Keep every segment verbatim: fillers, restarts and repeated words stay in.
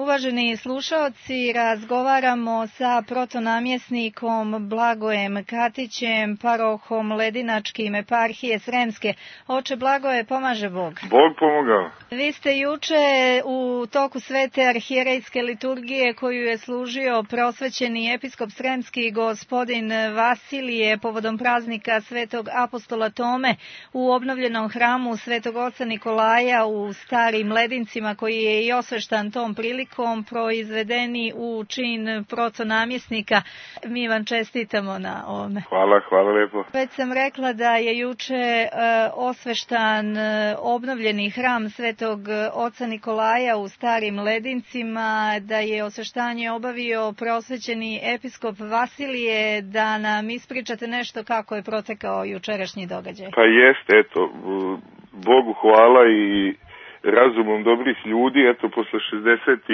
Uvaženi slušaoci, razgovaramo sa protonamjesnikom Blagojem Katićem, parohom Ledinačkim eparhije Sremske. Oče Blagoje, pomaže Bog. Bog pomogao. Vi ste juče u toku svete arhijerejske liturgije koju je služio prosvećeni episkop Sremski gospodin Vasilije povodom praznika svetog apostola Tome u obnovljenom hramu svetog oca Nikolaja u Starim Ledincima, koji je i osveštan tom prilikom, proizvedeni u čin protonamjesnika. Mi vam čestitamo na ovome. Hvala, hvala lepo. Već sam rekla da je juče e, osveštan e, obnovljeni hram svetog oca Nikolaja u Starim Ledincima, da je osveštanje obavio prosvećeni episkop Vasilije. Da nam ispričate nešto kako je protekao jučerašnji događaj. Pa jest, eto, Bogu hvala i razumom dobrih ljudi, eto, posle šezdeset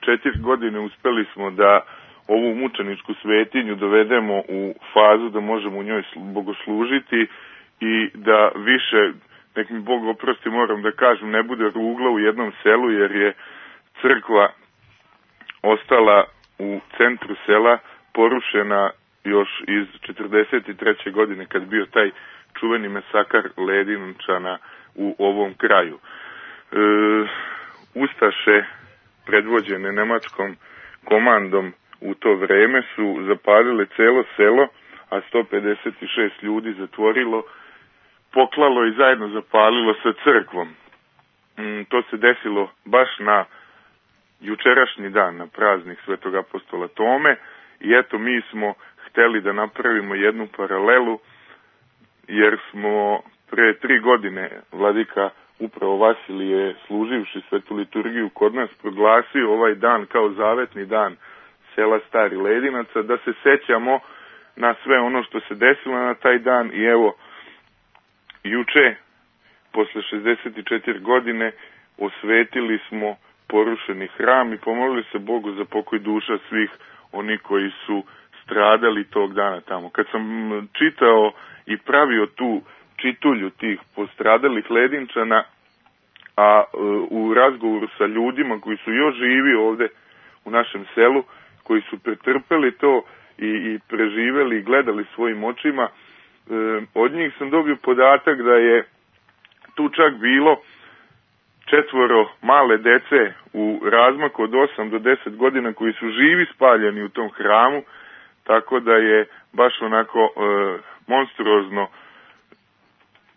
četiri godine uspeli smo da ovu mučeničku svetinju dovedemo u fazu da možemo u njoj bogoslužiti i da više, nek mi Bog oprosti, moram da kažem, ne bude rugla u jednom selu, jer je crkva ostala u centru sela porušena još iz četrdeset treće godine, kad bio taj čuveni masakar Ledinčana u ovom kraju. E, Ustaše predvođene nemačkom komandom u to vreme su zapalile celo selo, a sto pedeset šest ljudi zatvorilo, poklalo i zajedno zapalilo sa crkvom. Mm, to se desilo baš na jučerašnji dan, na praznik svetog apostola Tome, i eto, mi smo hteli da napravimo jednu paralelu, jer smo pre tri godine vladika upravo Vasilije, služivši svetu liturgiju kod nas, proglasio ovaj dan kao zavetni dan sela Stari Ledinaca, da se sećamo na sve ono što se desilo na taj dan. I evo, juče, posle šezdeset četiri godine, osvetili smo porušeni hram i pomolili se Bogu za pokoj duša svih oni koji su stradali tog dana tamo. Kad sam čitao i pravio tu čitulju tih postradalih Ledinčana, a u razgovoru sa ljudima koji su još živi ovde u našem selu, koji su pretrpeli to i, i preživeli i gledali svojim očima, od njih sam dobio podatak da je tu čak bilo četvoro male dece u razmaku od osam do deset godina koji su živi spaljeni u tom hramu, tako da je baš onako e, monstruozno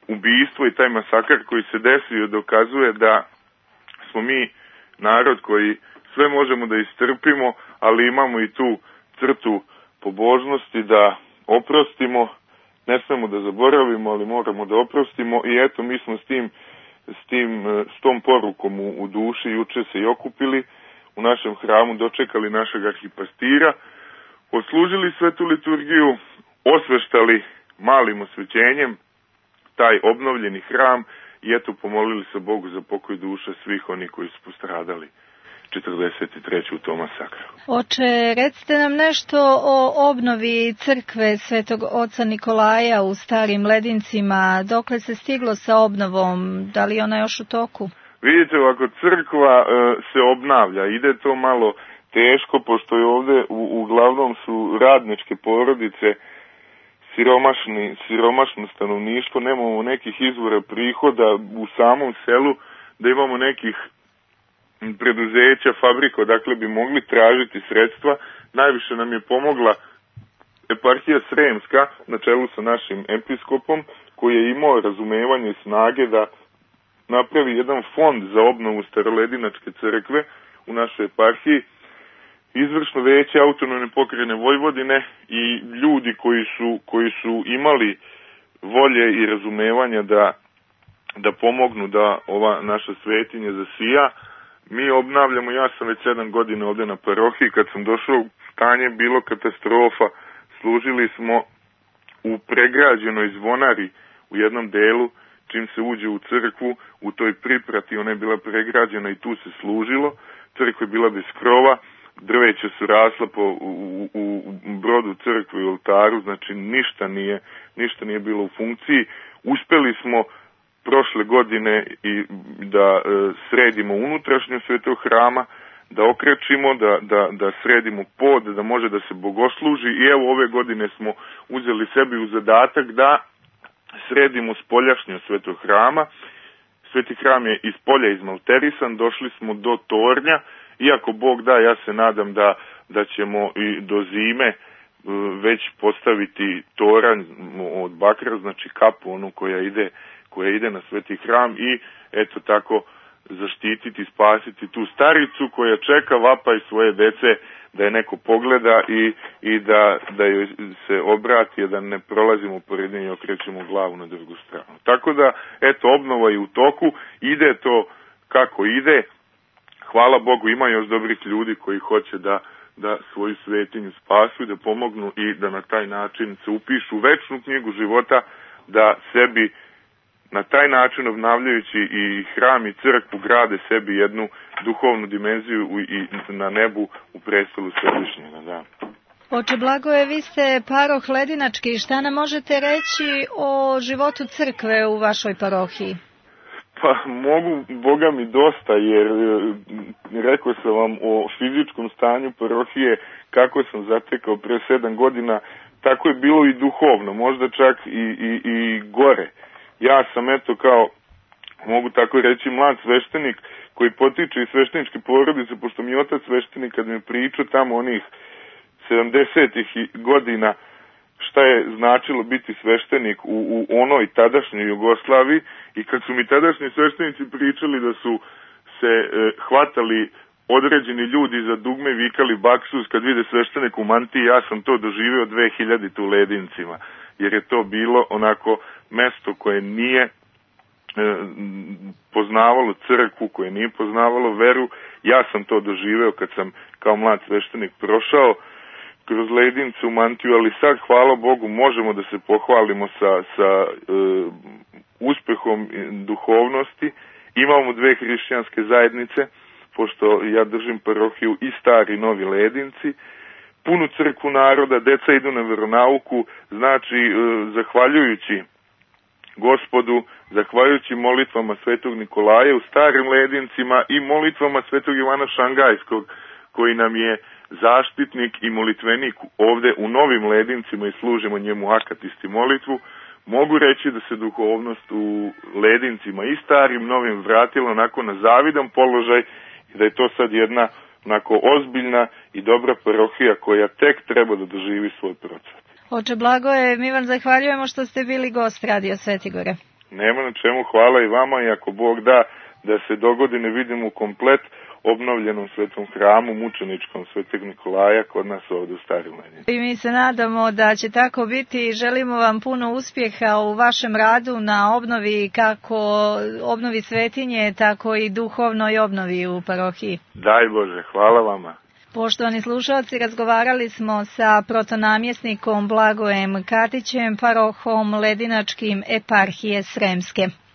ubijstvo i taj masakar koji se desio dokazuje da smo mi narod koji sve možemo da istrpimo, ali imamo i tu crtu pobožnosti da oprostimo, ne smemo da zaboravimo, ali moramo da oprostimo. I eto, mi smo s tim, s tim, s tom porukom u, u duši juče se i okupili u našem hramu, dočekali našeg arhipastira, odslužili svetu liturgiju, osveštali malim osvećenjem taj obnovljeni hram i eto, pomolili se Bogu za pokoj duša svih oni koji su postradali četrdeset treće u tom masakru. Oče, recite nam nešto o obnovi crkve svetog oca Nikolaja u Starim Ledincima. Dokle se stiglo sa obnovom? Da li ona još u toku? Vidite, ovako, crkva e, se obnavlja. Ide to malo teško, pošto je ovde u, uglavnom su radničke porodice, siromašni, siromašno stanovništvo, nemamo nekih izvora prihoda u samom selu, da imamo nekih preduzeća, fabrika, dakle bi mogli tražiti sredstva. Najviše nam je pomogla eparhija Sremska na čelu sa našim episkopom, koji je imao razumevanje i snage da napravi jedan fond za obnovu Staroledinačke crkve u našoj eparhiji. Izvršno veće autonomne pokrajine Vojvodine i ljudi koji su, koji su imali volje i razumevanja da, da pomognu da ova naša svetinja zasija. Mi obnavljamo, ja sam već sedam godina ovde na parohiji, kad sam došao, stanje bilo katastrofa. Služili smo u pregrađenoj zvonari u jednom delu, čim se uđe u crkvu, u toj priprati, ona je bila pregrađena i tu se služilo. Crkva je bila bez krova, drveća su rasla po, u, u, u brodu crkve i oltaru, znači ništa nije, ništa nije bilo u funkciji. Uspeli smo prošle godine i da e, sredimo unutrašnju svetog hrama, da okrečimo, da, da, da sredimo pod, da može da se bogosluži i evo ove godine smo uzeli sebi u zadatak da sredimo spoljašnje Svetog hrama. Sveti hram je iz polja izmalterisan, došli smo do tornja, iako Bog da, ja se nadam da, da ćemo i do zime već postaviti toranj od bakra, znači kapu onu koja ide, koja ide na Sveti hram i eto tako zaštititi, spasiti tu staricu koja čeka vapaj svoje dece da je neko pogleda i, i da, da joj se obrati, da ne prolazimo pored nje i okrećemo glavu na drugu stranu. Tako da, eto, obnova je u toku, ide to kako ide, hvala Bogu, ima još dobrih ljudi koji hoće da, da svoju svetinju spasu i da pomognu i da na taj način se upišu u večnu knjigu života, da sebi na taj način obnavljajući i hram i crkvu grade sebi jednu duhovnu dimenziju i na nebu u prestolu Svevišnjega. Da. Oče Blagoje, vi ste paroh Ledinački. Šta nam možete reći o životu crkve u vašoj parohiji? Pa mogu, Boga mi dosta, jer rekao sam vam o fizičkom stanju parohije kako sam zatekao pre sedam godina, tako je bilo i duhovno, možda čak i, i, i gore. Ja sam, eto, kao, mogu tako reći, mlad sveštenik koji potiče iz svešteničke porodice, pošto mi je otac sveštenik, kad mi pričao tamo onih sedamdesetih godina šta je značilo biti sveštenik u, u onoj tadašnjoj Jugoslaviji i kad su mi tadašnji sveštenici pričali da su se e, hvatali određeni ljudi za dugme, vikali baksus kad vide sveštenik u mantiji, ja sam to doživeo dve hiljadite u Ledincima, jer je to bilo onako mesto koje nije e, poznavalo crkvu, koje nije poznavalo veru. Ja sam to doživeo kad sam kao mlad sveštenik prošao kroz Ledince u mantiju, ali sad, hvala Bogu, možemo da se pohvalimo sa, sa e, uspehom duhovnosti. Imamo dve hrišćanske zajednice, pošto ja držim parohiju i Stari i Novi Ledinci, punu crkvu naroda, deca idu na veronauku, znači, e, zahvaljujući Gospodu, zahvaljujući molitvama Svetog Nikolaja u Starim Ledincima i molitvama Svetog Ivana Šangajskog, koji nam je zaštitnik i molitvenik ovde u Novim Ledincima i služimo njemu akatisti molitvu, mogu reći da se duhovnost u Ledincima i Starim Novim vratila onako na zavidan položaj i da je to sad jedna onako ozbiljna i dobra parohija koja tek treba da doživi svoj procvat. Oče Blagoje, mi vam zahvaljujemo što ste bili gost Radio Svetigore. Nema na čemu, hvala i vama i ako Bog da da se dogodine vidimo u komplet obnovljenom svetom hramu mučeničkom Svetog Nikolaja kod nas ovdje u Starim Ledincima. I mi se nadamo da će tako biti i želimo vam puno uspjeha u vašem radu na obnovi, kako obnovi svetinje, tako i duhovnoj obnovi u parohiji. Daj Bože, hvala vama. Poštovani slušalci, razgovarali smo sa protonamjesnikom Blagojem Katićem, parohom Ledinačkim eparhije Sremske.